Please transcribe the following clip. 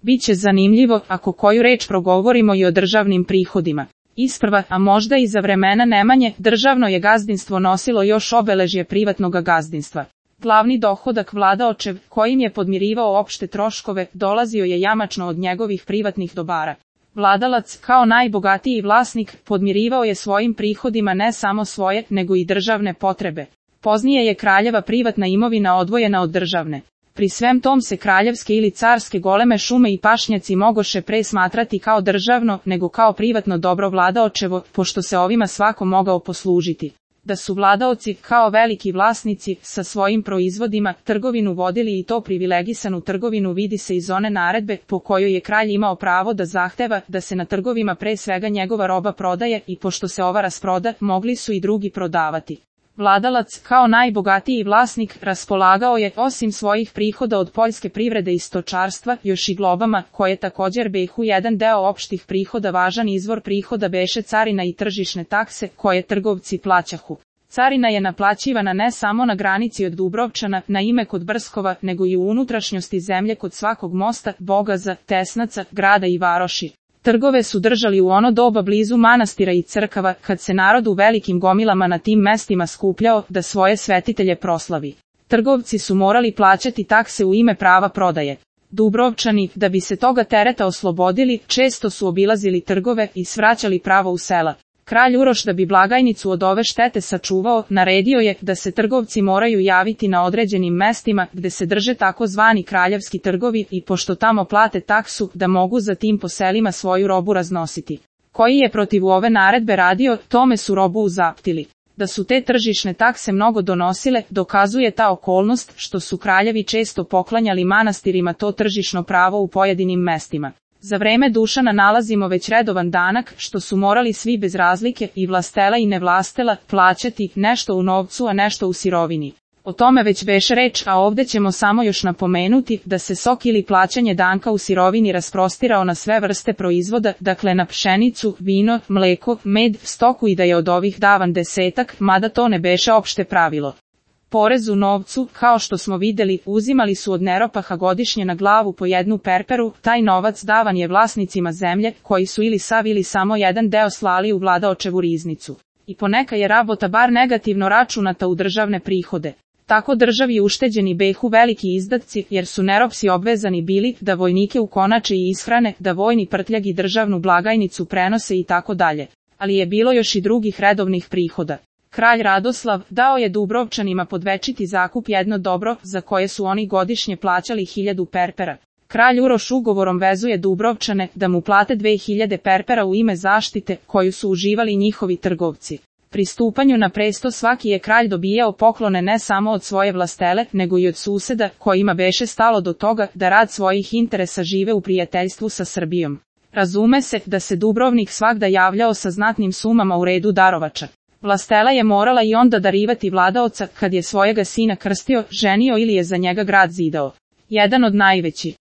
Biće zanimljivo ako koju reč progovorimo i o državnim prihodima. Isprva, a možda i za vremena Nemanje, državno je gazdinstvo nosilo još obeležje privatnog gazdinstva. Glavni dohodak vladaočev, kojim je podmirivao opšte troškove, dolazio je jamačno od njegovih privatnih dobara. Vladalac, kao najbogatiji vlasnik, podmirivao je svojim prihodima ne samo svoje, nego i državne potrebe. Poznije je kraljeva privatna imovina odvojena od državne. Pri svem tom se kraljevske ili carske goleme šume i pašnjaci mogoše pre smatrati kao državno, nego kao privatno dobro vladaočevo, pošto se ovima svako mogao poslužiti. Da su vladaoci, kao veliki vlasnici, sa svojim proizvodima, trgovinu vodili i to privilegisanu trgovinu vidi se iz one naredbe, po kojoj je kralj imao pravo da zahteva da se na trgovima pre svega njegova roba prodaje i pošto se ova rasproda, mogli su i drugi prodavati. Vladalac, kao najbogatiji vlasnik, raspolagao je, osim svojih prihoda od poljske privrede i stočarstva, još i globama, koje također behu jedan deo opštih prihoda. Važan izvor prihoda beše carina i tržišne takse, koje trgovci plaćahu. Carina je naplaćivana ne samo na granici od Dubrovčana, na ime kod Brskova, nego i u unutrašnjosti zemlje kod svakog mosta, bogaza, tesnaca, grada i varoši. Trgove su držali u ono doba blizu manastira i crkava, kad se narod u velikim gomilama na tim mestima skupljao da svoje svetitelje proslavi. Trgovci su morali plaćati takse u ime prava prodaje. Dubrovčani, da bi se toga tereta oslobodili, često su obilazili trgove i svraćali pravo u sela. Kralj Uroš, da bi blagajnicu od ove štete sačuvao, naredio je da se trgovci moraju javiti na određenim mestima gde se drže takozvani kraljevski trgovi i pošto tamo plate taksu, da mogu za tim po selima svoju robu raznositi. Koji je protiv ove naredbe radio, tome su robu uzaptili. Da su te tržišne takse mnogo donosile, dokazuje ta okolnost što su kraljevi često poklanjali manastirima to tržišno pravo u pojedinim mestima. Za vreme Dušana nalazimo već redovan danak, što su morali svi bez razlike, i vlastela i nevlastela, plaćati nešto u novcu a nešto u sirovini. O tome već beše reč, a ovde ćemo samo još napomenuti da se sok ili plaćanje danka u sirovini rasprostirao na sve vrste proizvoda, dakle na pšenicu, vino, mleko, med, stoku i da je od ovih davan desetak, mada to ne beše opšte pravilo. Porez u novcu, kao što smo videli, uzimali su od Neropaha godišnje na glavu po jednu perperu, taj novac davan je vlasnicima zemlje, koji su ili sav ili samo jedan deo slali u vladaočevu riznicu. I poneka je rabota bar negativno računata u državne prihode. Tako državi ušteđeni behu veliki izdatci, jer su Neropsi obvezani bili da vojnike ukonače i ishrane, da vojni prtljag i državnu blagajnicu prenose i tako dalje. Ali je bilo još i drugih redovnih prihoda. Kralj Radoslav dao je Dubrovčanima pod večiti zakup jedno dobro, za koje su oni godišnje plaćali 1000 perpera. Kralj Uroš ugovorom vezuje Dubrovčane da mu plate 2000 perpera u ime zaštite, koju su uživali njihovi trgovci. Pri stupanju na presto svaki je kralj dobijao poklone ne samo od svoje vlastele, nego i od suseda, kojima beše stalo do toga da rad svojih interesa žive u prijateljstvu sa Srbijom. Razume se da se Dubrovnik svagda javljao sa znatnim sumama u redu darovača. Vlastela je morala i onda darivati vladaoca kad je svojega sina krstio, ženio ili je za njega grad zidao. Jedan od najvećih